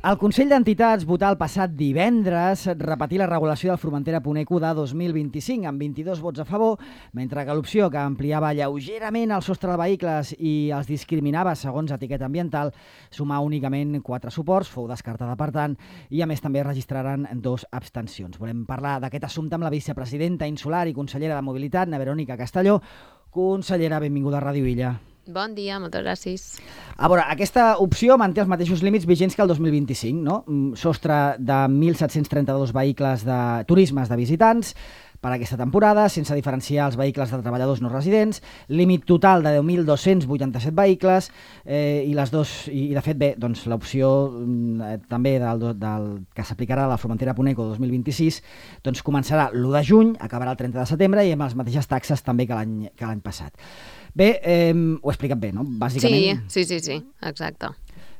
El Consell d'Entitats votà el passat divendres repetir la regulació del Formentera Puneco de 2025 amb 22 vots a favor, mentre que l'opció que ampliava lleugerament el sostre de vehicles i els discriminava segons etiqueta ambiental sumà únicament 4 suports, fou descartada per tant, i a més també registraren 2 abstencions. Volem parlar d'aquest assumpte amb la vicepresidenta insular i consellera de Mobilitat, na Verònica Castelló. Consellera, benvinguda a Ràdio Illa. Bon dia, moltes gràcies. A veure, aquesta opció manté els mateixos límits vigents que el 2025, no? Sostre de 1.732 vehicles de turismes de visitants per aquesta temporada, sense diferenciar els vehicles de treballadors no residents, límit total de 10.287 vehicles i de fet, bé, doncs l'opció també del que s'aplicarà a la Formentera Puneco 2026 doncs començarà l'1 de juny, acabarà el 30 de setembre i amb les mateixes taxes també que l'any passat. Bé, ho he explicat bé, no? Bàsicament. Sí, exacte.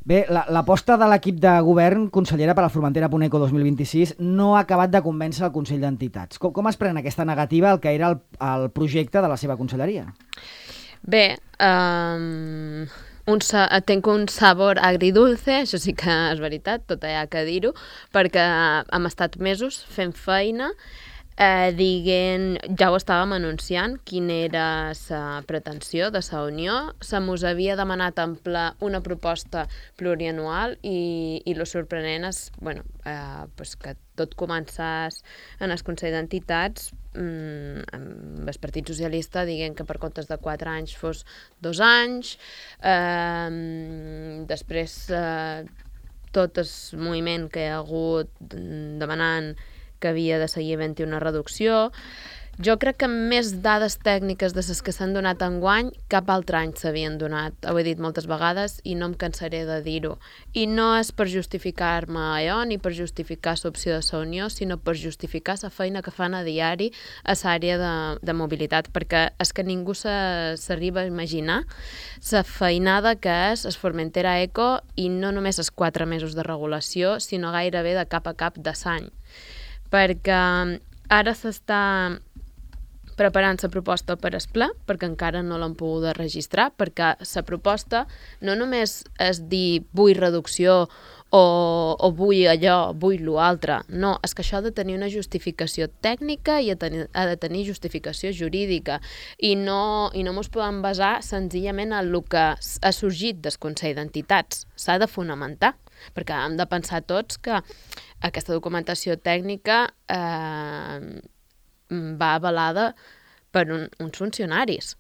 Bé, l'aposta de l'equip de govern, consellera, per a la Formentera Puneco 2026 no ha acabat de convèncer el Consell d'Entitats. Com es pren aquesta negativa al que era el projecte de la seva conselleria? Bé, tenc un sabor agridulce, això sí que és veritat, tot hi ha que dir-ho, perquè hem estat mesos fent feina, ja ho estàvem anunciant quina era la pretensió de la Unió. Se mos havia demanat en ple una proposta plurianual i lo sorprenent és que tot començàs en el Consell d'Entitats amb el Partit Socialista dient que per comptes de 4 anys fos 2 anys, després tot el moviment que hi ha hagut demanant que havia de seguir havent-hi una reducció. Jo crec que més dades tècniques de les que s'han donat enguany cap altre any s'havien donat. Ho he dit moltes vegades i no em cansaré de dir-ho. I no és per justificar-me allò ni per justificar l'opció de la Unió, sinó per justificar la feina que fan a diari a l'àrea de mobilitat, perquè és que ningú s'arriba a imaginar la feinada que és el Formentera Eco i no només els 4 mesos de regulació, sinó gairebé de cap a cap de l'any. Perquè ara s'està preparant la proposta per al ple, perquè encara no l'han pogut registrar, perquè la proposta no només és dir vull reducció o vull allò, vull l'altre, no, és que això ha de tenir una justificació tècnica i ha de tenir justificació jurídica i no ens podem basar senzillament en el que ha sorgit del Consell d'Entitats, s'ha de fonamentar, perquè hem de pensar tots que aquesta documentació tècnica va avalada per uns funcionaris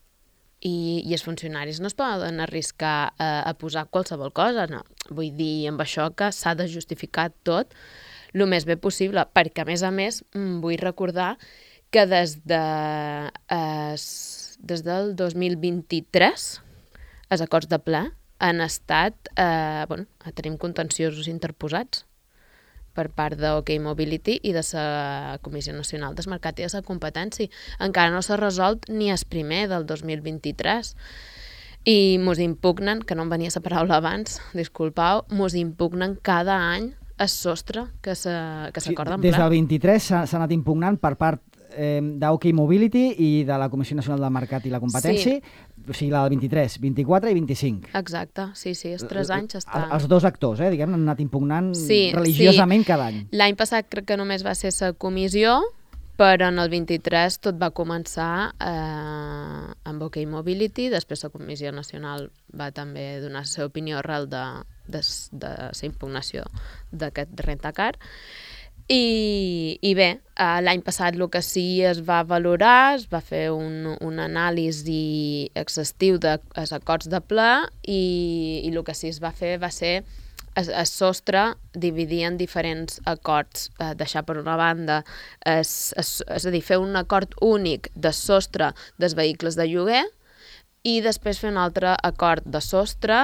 i els funcionaris no es poden arriscar a posar qualsevol cosa, no. Vull dir amb això que s'ha de justificar tot el més bé possible, perquè a més vull recordar que des del 2023 els acords de ple han estat, tenim contenciosos interposats per part d'OK Mobility i de la Comissió Nacional del Mercat i de la Competència. Encara no s'ha resolt ni el primer del 2023. I mos impugnen, que no em venia la paraula abans, disculpau, mos impugnen cada any el sostre que s'acorda en ple. Des del 23 s'ha anat impugnant per part d'OK Mobility i de la Comissió Nacional del Mercat i la Competència, o sigui, la del 23, 24 i 25. Exacte, sí, els 3 anys està... Els dos actors, diguem, han anat impugnant religiosament cada any. L'any passat crec que només va ser la comissió, però en el 23 tot va començar amb OK Mobility, després la Comissió Nacional va també donar la seva opinió arrel de la impugnació d'aquest rentacar. I bé, l'any passat el que sí es va valorar, es va fer un anàlisi exhaustiu dels acords de ple i el que sí es va fer va ser el sostre dividir en diferents acords, deixar per una banda, és a dir, fer un acord únic de sostre dels vehicles de lloguer i després fer un altre acord de sostre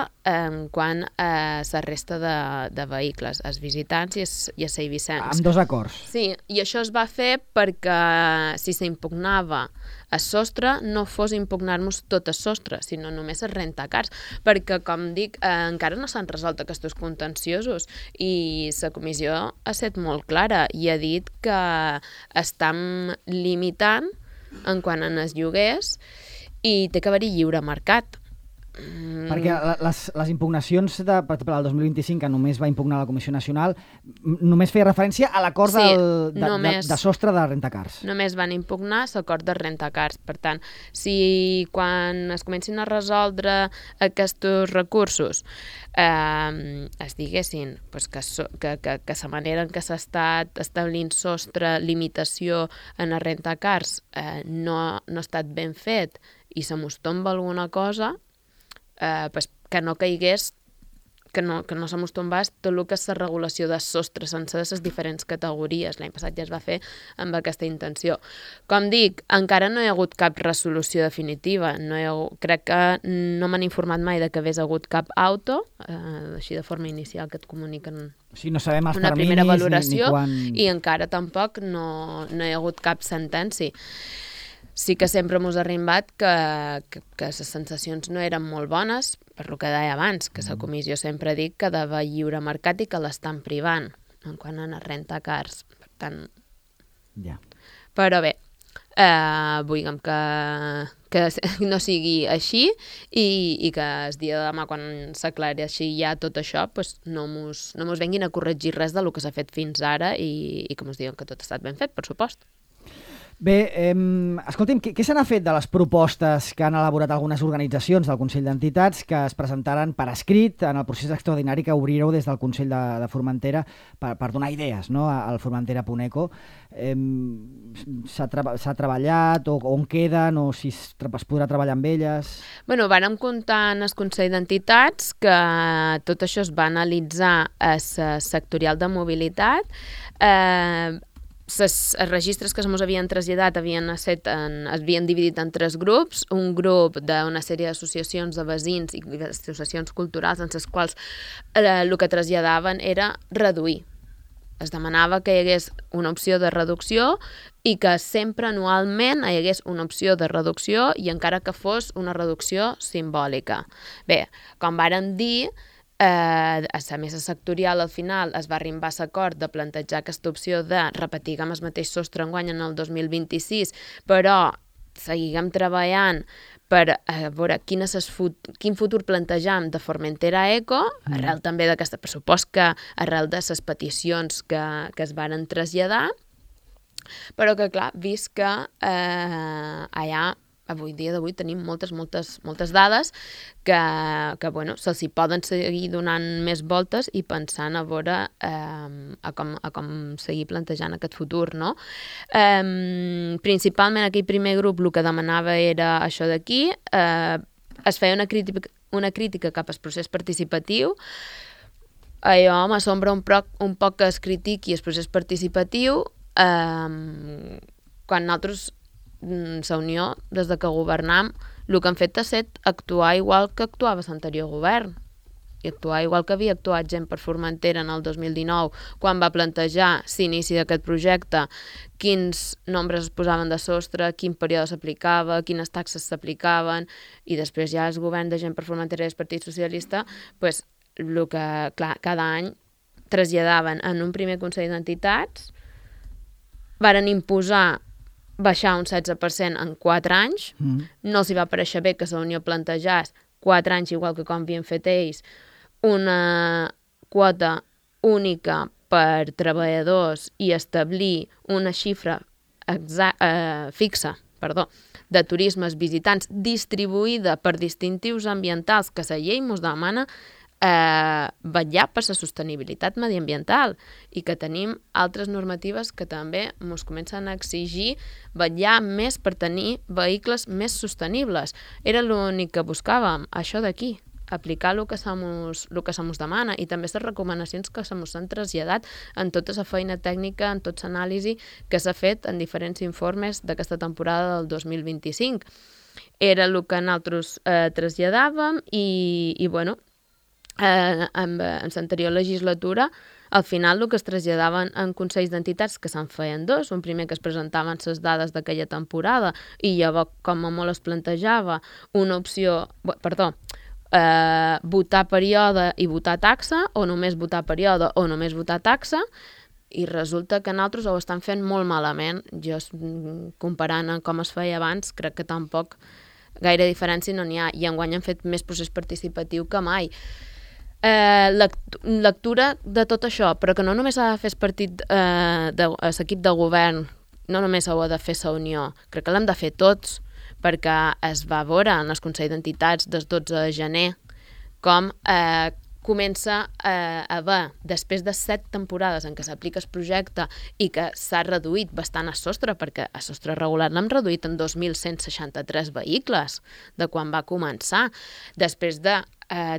quant a la resta de vehicles, els visitants i els eivissencs. Amb 2 acords. Sí, i això es va fer perquè si s'impugnava el sostre no fos impugnar-nos tot el sostre, sinó només els rentacars, perquè, com dic, encara no s'han resolt aquests contenciosos i la comissió ha estat molt clara i ha dit que estan limitant en quant als lloguers i té que haver-hi lliure mercat. Perquè les impugnacions, per exemple, del 2025, que només va impugnar la Comissió Nacional, només feia referència a l'acord de sostre de rentacars. Només van impugnar l'acord de rentacars. Per tant, si quan es comencin a resoldre aquests recursos es diguessin que la manera en què s'ha estat establint sostre, limitació en els rentacars no ha estat ben fet i se mos tomba alguna cosa, que no caigués, que no se mos tombés tot el que és la regulació de sostre sense de les diferents categories. L'any passat ja es va fer amb aquesta intenció. Com dic, encara no hi ha hagut cap resolució definitiva. Crec que no m'han informat mai de que hagués hagut cap auto, així de forma inicial que et comuniquen no sabem els una primera valoració, ni quan... i encara tampoc no hi ha hagut cap sentència. Sí que sempre m'ho ha arribat que les sensacions no eren molt bones, per lo que deia abans, que la comissió sempre ha dit que de lliure mercat i que l'estan privant, en quant a rentacars. Per tant... Ja. Però bé, vull que no sigui així i que el dia de demà, quan s'aclareixi ja tot això, no mos venguin a corregir res del que s'ha fet fins ara i que mos diuen que tot ha estat ben fet, per supost. Bé, escolti'm, què se n'ha fet de les propostes que han elaborat algunes organitzacions del Consell d'Entitats que es presentaren per escrit en el procés extraordinari que obrireu des del Consell de Formentera per donar idees, no?, al Formentera.eco? S'ha treballat o on queden o si es podrà treballar amb elles? Bueno, vàrem comptar en el Consell d'Entitats que tot això es va analitzar a la sectorial de mobilitat. Els registres que se mos havien traslladat havien dividit en 3 grups, un grup d'una sèrie d'associacions de veïns i associacions culturals en les quals el que traslladaven era reduir. Es demanava que hi hagués una opció de reducció i que sempre anualment hi hagués una opció de reducció i encara que fos una reducció simbòlica. Bé, com vàrem dir, a la mesa sectorial al final es va arribar a l'acord de plantejar aquesta opció de repetir amb el mateix sostre enguany en el 2026, però seguiguem treballant per veure quin futur plantejam de Formentera.eco, arrel també d'aquest pressupost, que arrel de les peticions que es varen traslladar, però que clar, vist que allà avui dia d'avui tenim moltes dades que bueno, se'ls hi poden seguir donant més voltes i pensant a veure a com seguir plantejant aquest futur, no? Principalment aquell primer grup el que demanava era això d'aquí, es feia una crítica cap al procés participatiu. Allò m'assombra un poc que es critiqui el procés participatiu quan nosaltres la Unió, des de que governam, el que han fet ha estat actuar igual que actuava l'anterior govern i actuar igual que havia actuat gent per Formentera en el 2019, quan va plantejar l'inici d'aquest projecte, quins nombres es posaven de sostre, quin període s'aplicava, quines taxes s'aplicaven, i després ja el govern de gent per Formentera i el Partit Socialista, el que, clar, cada any traslladaven en un primer Consell d'Entitats, varen imposar baixar un 16% en 4 anys, no els hi va pareixer bé que la Unió plantejés 4 anys, igual que com havien fet ells, una quota única per treballadors i establir una xifra fixa de turismes visitants distribuïda per distintius ambientals que la llei ens demana vetllar per la sostenibilitat mediambiental i que tenim altres normatives que també ens comencen a exigir vetllar més per tenir vehicles més sostenibles. Era l'únic que buscàvem, això d'aquí, aplicar el que se mos demana i també les recomanacions que se mos han traslladat en tota la feina tècnica, en tota l'anàlisi que s'ha fet en diferents informes d'aquesta temporada del 2025. Era el que nosaltres traslladàvem i bueno, en l'anterior legislatura, al final el que es traslladaven en consells d'entitats, que se'n feien 2, un primer que es presentaven les dades d'aquella temporada i llavors com a molt es plantejava una opció, votar període i votar taxa, o només votar període o només votar taxa, i resulta que nosaltres ho estan fent molt malament. Jo, comparant amb com es feia abans, crec que tampoc gaire diferència no n'hi ha, i enguany han fet més procés participatiu que mai. Lectura de tot això, però que no només ha de fer l'equip de govern, no només ho ha de fer la Unió, crec que l'hem de fer tots, perquè es va veure en el Consell d'Entitats del 12 de gener com comença a haver, després de 7 temporades en què s'aplica el projecte i que s'ha reduït bastant a sostre, perquè a sostre regular l'hem reduït en 2.163 vehicles de quan va començar, després de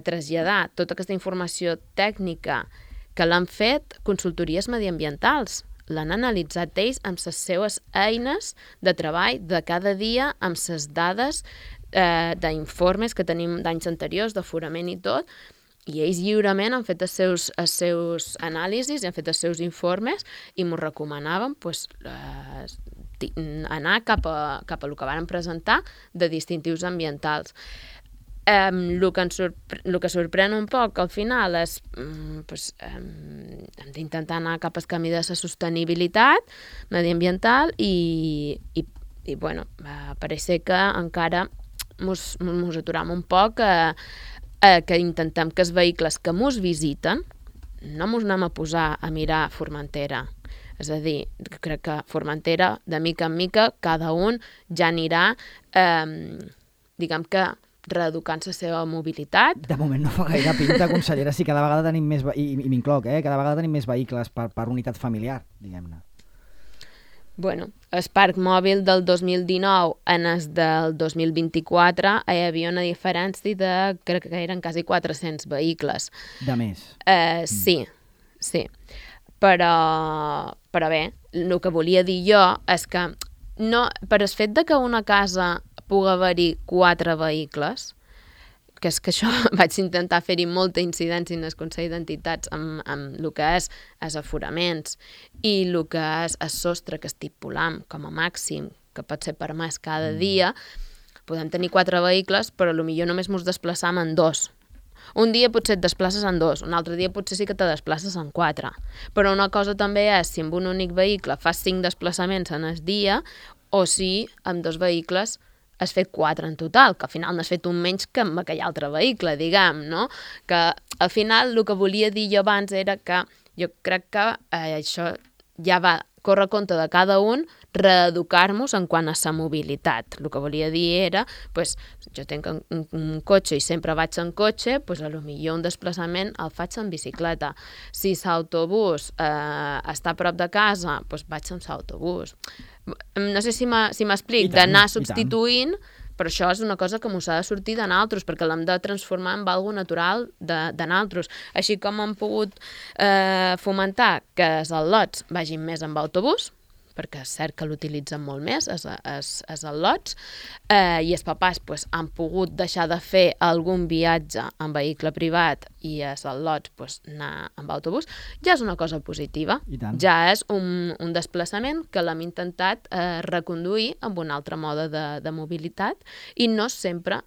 traslladar tota aquesta informació tècnica que l'han fet consultories mediambientals. L'han analitzat ells amb les seues eines de treball de cada dia, amb les dades d'informes que tenim d'anys anteriors, d'aforament i tot, i ells lliurement han fet els seus anàlisis i han fet els seus informes i m'ho recomanaven anar cap a el que varen presentar de distintius ambientals. El que sorprèn un poc al final és hem d'intentar anar cap al camí de la sostenibilitat mediambiental i bueno, pareix ser que encara mos aturam un poc que intentem que els vehicles que mos visiten no mos anem a posar a mirar Formentera. És a dir, crec que Formentera, de mica en mica, cada un ja anirà, diguem que, reeducant la seva mobilitat. De moment no fa gaire pinta, consellera, si cada vegada tenim més, i m'incloc, cada vegada tenim més vehicles per unitat familiar, diguem-ne. Bueno, el parc mòbil del 2019 en el del 2024 hi havia una diferència de, crec que eren quasi 400 vehicles. De més. Sí. Però bé, el que volia dir jo és que no, per el fet de que una casa pugui haver-hi 4 vehicles, que és que això vaig intentar fer-hi molta incidència en el Consell d'Entitats amb el que és els aforaments i el que és el sostre que estipulam com a màxim, que pot ser permès cada dia, podem tenir 4 vehicles, però potser només ens desplaçam en 2. Un dia potser et desplaces en 2, un altre dia potser sí que te desplaces en 4. Però una cosa també és si amb un únic vehicle fas 5 desplaçaments en el dia o si amb 2 vehicles has fet 4 en total, que al final n'has fet un menys que amb aquell altre vehicle, diguem, no? Que al final el que volia dir jo abans era que jo crec que això ja va córrer compte de cada un reeducar-nos en quant a la mobilitat. El que volia dir era, jo tinc un cotxe i sempre vaig en cotxe, potser un desplaçament el faig en bicicleta. Si l'autobús està a prop de casa, vaig amb l'autobús. No sé si m'explic, d'anar substituint, però això és una cosa que mos ha de sortir de nosaltres, perquè l'hem de transformar en algo natural de nosaltres. Així com hem pogut fomentar que els al·lots vagin més amb autobús, perquè és cert que l'utilitzen molt més, els al·lots, i els papàs han pogut deixar de fer algun viatge en vehicle privat i els al·lots anar amb autobús, ja és una cosa positiva. Ja és un desplaçament que l'hem intentat reconduir amb un altre mode de mobilitat i no sempre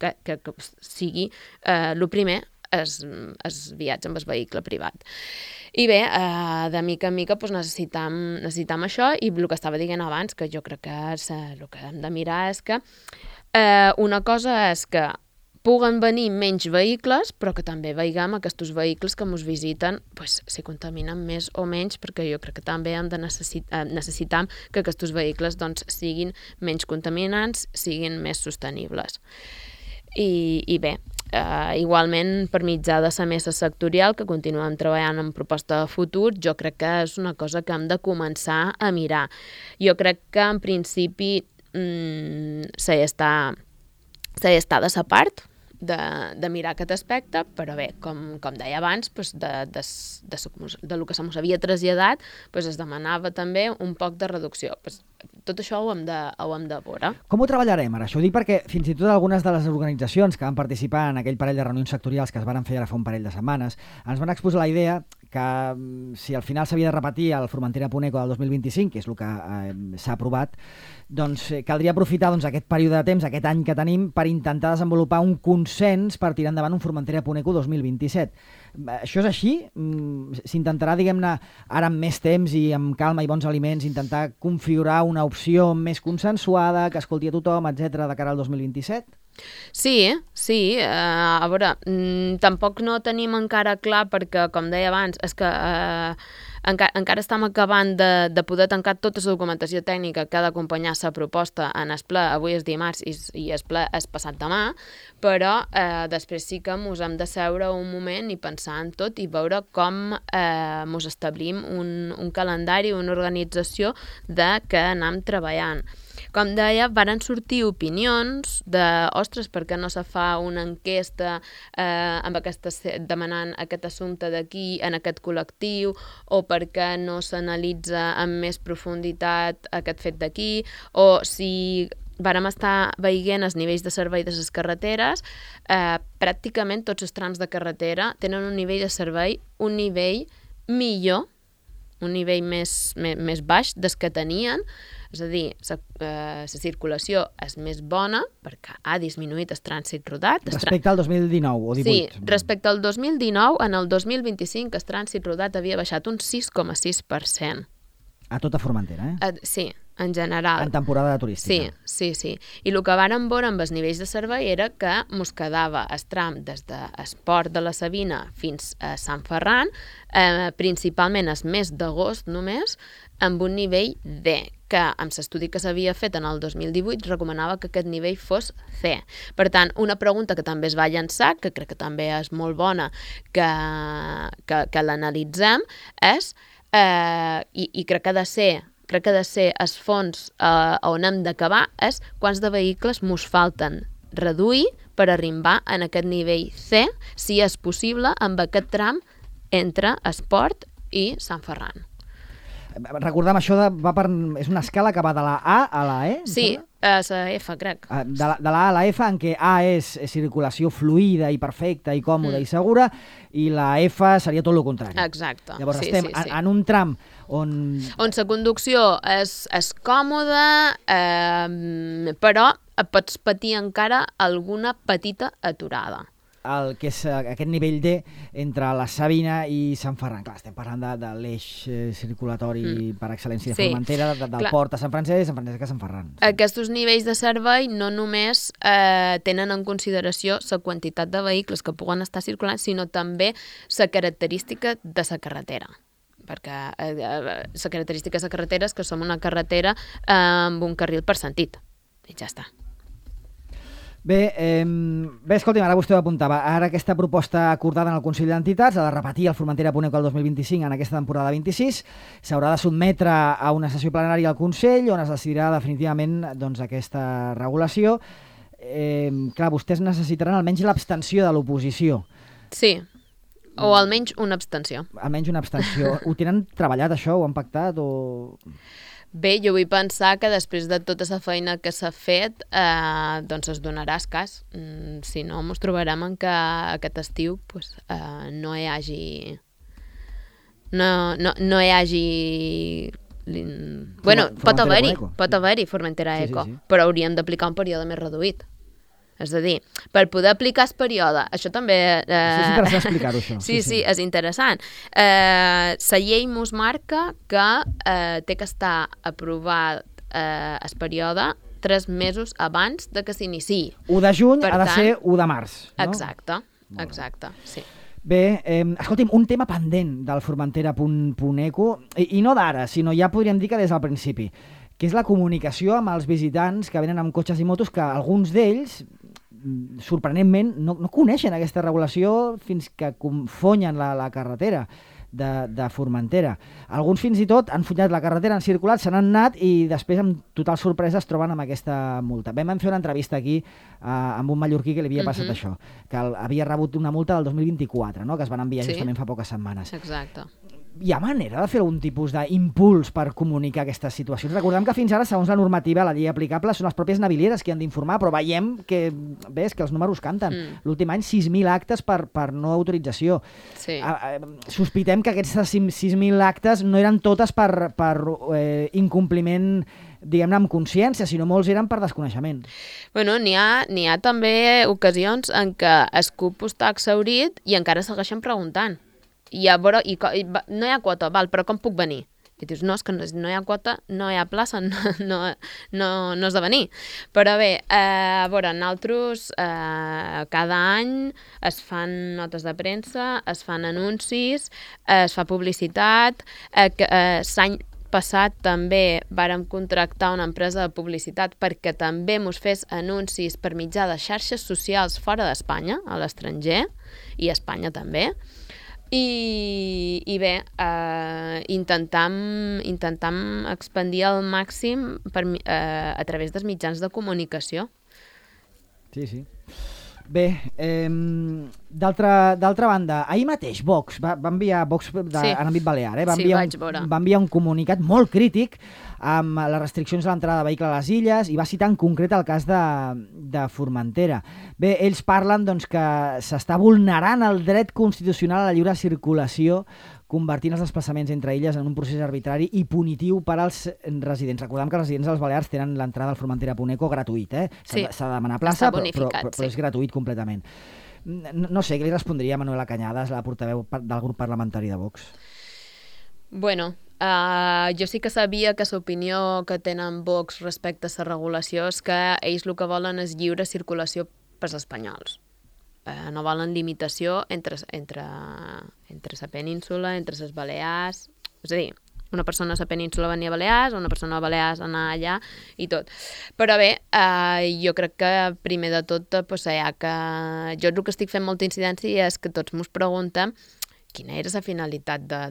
que sigui el primer el viatge amb el vehicle privat. I bé, de mica en mica necessitam això i el que estava dient abans, que jo crec que el que hem de mirar és que una cosa és que puguen venir menys vehicles, però que també veiem aquests vehicles que ens visiten si contaminen més o menys, perquè jo crec que també hem de necessitar que aquests vehicles siguin menys contaminants, siguin més sostenibles. I bé, igualment per mitjà de la mesa sectorial, que continuem treballant en proposta de futur, jo crec que és una cosa que hem de començar a mirar. Jo crec que en principi s'ha d'estar de sa part de mirar aquest aspecte, però bé, com deia abans, del que se mos havia traslladat, es demanava també un poc de reducció. Tot això ho hem de veure. Com ho treballarem ara? Això ho dic perquè fins i tot algunes de les organitzacions que van participar en aquell parell de reunions sectorials que es van fer ara fa un parell de setmanes ens van exposar la idea que si al final s'havia de repetir el Formentera-Puneco del 2025, que és el que s'ha aprovat, doncs caldria aprofitar aquest període de temps, aquest any que tenim, per intentar desenvolupar un consens per tirar endavant un Formentera-Puneco 2027. Això és així? S'intentarà, diguem-ne, ara amb més temps i amb calma i bons aliments, intentar configurar una opció més consensuada, que escolti a tothom, etc de cara al 2027? Sí. A veure, tampoc no tenim encara clar perquè, com deia abans, és que encara estem acabant de poder tancar tota la documentació tècnica que ha d'acompanyar la proposta en el ple. Avui és dimarts i el ple és passat demà, però després sí que ens hem de seure un moment i pensar en tot i veure com ens establim un calendari, una organització de què anem treballant. Com deia, varen sortir opinions de, ostres, per què no se fa una enquesta demanant aquest assumpte d'aquí, en aquest col·lectiu, o per què no s'analitza amb més profunditat aquest fet d'aquí, o si vàrem estar veient els nivells de servei de les carreteres, pràcticament tots els trams de carretera tenen un nivell de servei, un nivell millor, un nivell més baix des que tenien. És a dir, la circulació és més bona perquè ha disminuït el trànsit rodat. Respecte al 2019 o 18? Sí, respecte al 2019, en el 2025 el trànsit rodat havia baixat un 6,6%. A tota Formentera, Sí, en general. En temporada turística. Sí. I el que vàrem veure amb els nivells de servei era que mos quedava el tram des del Port de la Sabina fins a Sant Ferran, principalment el mes d'agost només, amb un nivell D, que amb l'estudi que s'havia fet en el 2018 recomanava que aquest nivell fos C. Per tant, una pregunta que també es va llançar, que crec que també és molt bona que l'analitzem, és, i crec que ha de ser els fons on hem d'acabar, és quants de vehicles mos falten reduir per arribar en aquest nivell C, si és possible, amb aquest tram entre Esport i Sant Ferran. Recordem, això és una escala que va de la A a la E? Sí, a la F, crec. De la A a la F, en què A és circulació fluida i perfecta i còmoda i segura, i la F seria tot el contrari. Exacte. Llavors estem en un tram on la conducció és còmoda, però pots patir encara alguna petita aturada. El que és aquest nivell D entre la Sabina i Sant Ferran. Clar, estem parlant de l'eix circulatori per excel·lència de Formentera, del port a Sant Francesc i Sant Francesc a Sant Ferran. Aquests nivells de servei no només tenen en consideració la quantitat de vehicles que puguen estar circulant, sinó també la característica de la carretera. Perquè la característica de la carretera és que som una carretera amb un carril per sentit. I ja està. Bé, escolti'm, ara vostè ho apuntava. Ara aquesta proposta acordada en el Consell d'Entitats ha de repetir el Formentera-Puneco el 2025 en aquesta temporada 26. S'haurà de sotmetre a una sessió plenària al Consell on es decidirà definitivament aquesta regulació. Clar, vostès necessitaran almenys l'abstenció de l'oposició. Sí, o almenys una abstenció. Almenys una abstenció. Ho tenen treballat, això? Ho han pactat? Bé, jo vull pensar que després de tota la feina que s'ha fet, doncs es donarà escàs. Si no, ens trobarem en que aquest estiu no hi hagi... No hi hagi... Bueno, pot haver-hi Formentera Eco, però hauríem d'aplicar un període més reduït. És a dir, per poder aplicar el període, això també... És interessant explicar-ho, això. Sí, és interessant. La llei mos marca que té que estar aprovat el període 3 mesos abans de que s'iniciï. 1 de juny ha de ser 1 de març. Exacte, sí. Bé, escolti'm, un tema pendent del Formentera-Puneco, i no d'ara, sinó ja podríem dir que des del principi, que és la comunicació amb els visitants que venen amb cotxes i motos, que alguns d'ells, sorprenentment, no coneixen aquesta regulació fins que confonyen la carretera de Formentera. Alguns fins i tot han fullat la carretera, han circulat, se n'han anat i després amb total sorpresa es troben amb aquesta multa. Vam fer una entrevista aquí amb un mallorquí que li havia passat això, que havia rebut una multa del 2024, no? Que es van enviar justament fa poques setmanes. Exacte. hi ha manera de fer algun tipus d'impuls per comunicar aquestes situacions? Recordem que fins ara, segons la normativa, la llei aplicable, són les pròpies navilieres qui han d'informar, però veiem que, ves, que els números canten. L'últim any, 6.000 actes per no autorització. Sí. Sospitem que aquestes 6.000 actes no eren totes per incompliment, diguem-ne, amb consciència, sinó molts eren per desconeixement. Bueno, n'hi ha també ocasions en què el CUP està exhaurit i encara segueixen preguntant. I no hi ha quota, val, però com puc venir? I dius, no, és que no hi ha quota, no hi ha plaça, no has de venir. Però bé, a veure, nosaltres cada any es fan notes de premsa, es fan anuncis, es fa publicitat, l'any passat també vàrem contractar una empresa de publicitat perquè també mos fes anuncis per mitjà de xarxes socials fora d'Espanya, a l'estranger, i a Espanya també. I bé, intentam expandir al màxim a través dels mitjans de comunicació. Sí. Bé, d'altra banda, ahir mateix Vox va enviar, Vox en àmbit balear, va enviar un comunicat molt crític amb les restriccions a l'entrada de vehicle a les illes i va citar en concret el cas de Formentera. Bé, ells parlen doncs, que s'està vulnerant el dret constitucional a la lliure circulació, convertint els desplaçaments entre illes en un procés arbitrari i punitiu per als residents. Recordem que els residents dels Balears tenen l'entrada al Formentera.eco gratuït, Sí. S'ha de demanar plaça, però és gratuït completament. No sé, què li respondria Manuela Cañadas, la portaveu del grup parlamentari de Vox? Bueno, jo sí que sabia que l'opinió que tenen Vox respecte a la regulació és que ells el que volen és lliure circulació pels espanyols. No volen limitació entre la península, entre les Balears, és a dir, una persona a la península venia a Balears, una persona a Balears anar allà i tot. Però bé, jo crec que primer de tot, jo el que estic fent molta incidència és que tots mos preguntem quina era la finalitat de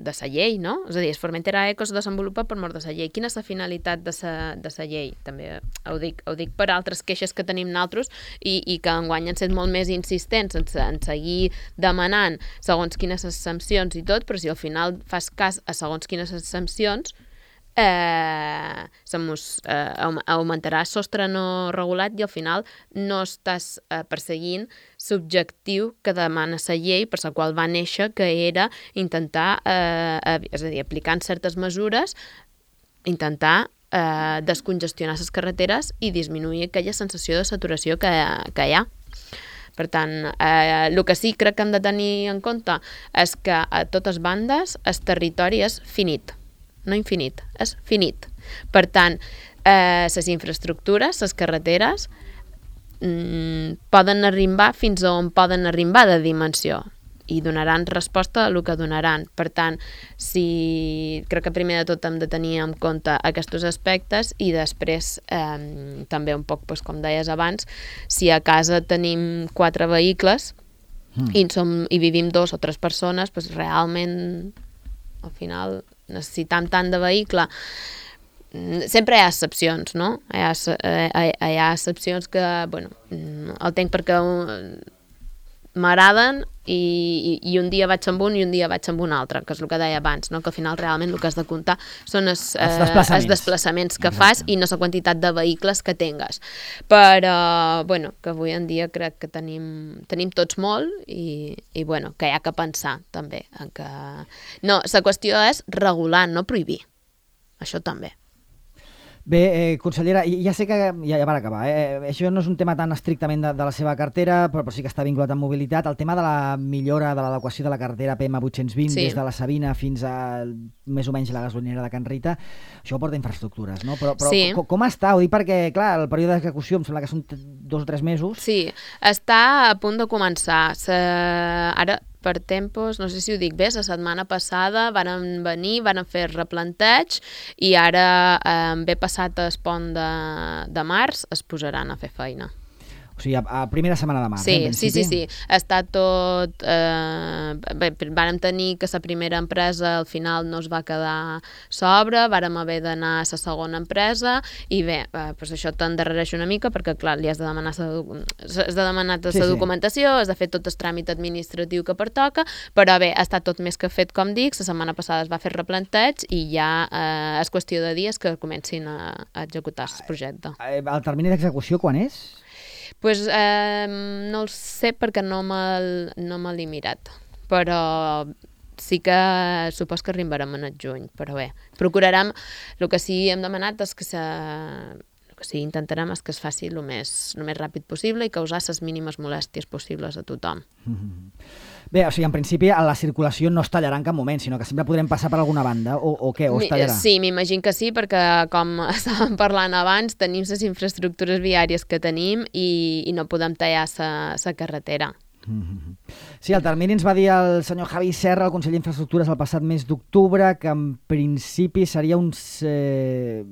la llei, no? És a dir, el Formentera Eco es desenvolupa per mort de la llei. Quina és la finalitat de la llei? També ho dic per altres queixes que tenim nosaltres i que enguany han set molt més insistents en seguir demanant segons quines sancions i tot, però si al final fas cas a segons quines sancions, augmentarà el sostre no regulat i al final no estàs perseguint l'objectiu que demana la llei per la qual va néixer, que era intentar, és a dir, aplicant certes mesures, intentar descongestionar les carreteres i disminuir aquella sensació de saturació que hi ha. Per tant, el que sí crec que hem de tenir en compte és que a totes bandes el territori és finit. No infinit, és finit. Per tant, les infraestructures, les carreteres, poden arribar fins a on poden arribar de dimensió i donaran resposta a el que donaran. Per tant, crec que primer de tot hem de tenir en compte aquests aspectes i després també un poc, com deies abans, si a casa tenim 4 vehicles i vivim 2 o 3 persones, realment al final necessitam tant de vehicle. Sempre hi ha excepcions, no? Hi ha excepcions que, el tenc perquè m'agraden i un dia vaig amb un i un dia vaig amb un altre, que és el que deia abans, no? Que al final realment el que has de comptar són els desplaçaments que fas i no la quantitat de vehicles que tingues. Però, que avui en dia crec que tenim tots molt i que hi ha que pensar també. No, la qüestió és regular, no prohibir. Això també. Bé, consellera, ja sé que ja per acabar, això no és un tema tan estrictament de la seva cartera, però sí que està vinculat amb mobilitat. El tema de la millora de l'adequació de la carretera PM820 des de la Sabina fins a més o menys la gasolinera de Can Rita, això porta infraestructures, no? Però com està? Ho dic perquè, clar, el període d'execució em sembla que són 2 o 3 mesos. Sí, està a punt de començar. Ara, per tempos, no sé si ho dic bé, la setmana passada van venir, van fer replanteig i ara, ben passat el pont de març, es posaran a fer feina. O O sigui, a primera setmana de març, Sí. Està tot... Vàrem tenir que la primera empresa al final no es va quedar sobre, vàrem haver d'anar a la segona empresa i bé, doncs això t'endarrereix una mica perquè, clar, li has de demanar la documentació, has de fer tot el tràmit administratiu que pertoca, però bé, està tot més que fet, com dic, la setmana passada es va fer replanteig i ja és qüestió de dies que comencin a executar el projecte. El termini d'execució quan és? Pues, no el sé perquè no me l'he mirat, però sí que supos que arribarem en el juny, però bé, procurarem, el que sí hem demanat és que el que sí intentarem és que es faci el més ràpid possible i causar les mínimes molèsties possibles a tothom. Bé, o sigui, en principi la circulació no es tallarà en cap moment, sinó que sempre podrem passar per alguna banda, o què? O es tallarà? Sí, m'imagino que sí, perquè com estàvem parlant abans, tenim les infraestructures viàries que tenim i no podem tallar la carretera. Sí, al termini ens va dir el senyor Javi Serra, el conseller d'Infraestructures, el passat mes d'octubre, que en principi seria uns 5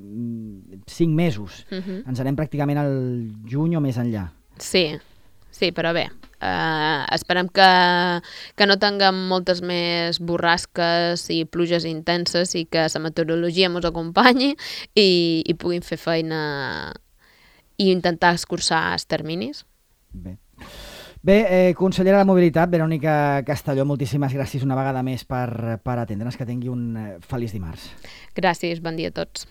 mesos. Ens anem pràcticament al juny o més enllà. Sí, però bé, esperem que no tinguem moltes més borrasques i pluges intenses i que la meteorologia ens acompanyi i puguin fer feina i intentar escurçar els terminis. Bé, consellera de Mobilitat, Verònica Castelló, moltíssimes gràcies una vegada més per atendre'ns, que tingui un feliç dimarts. Gràcies, bon dia a tots.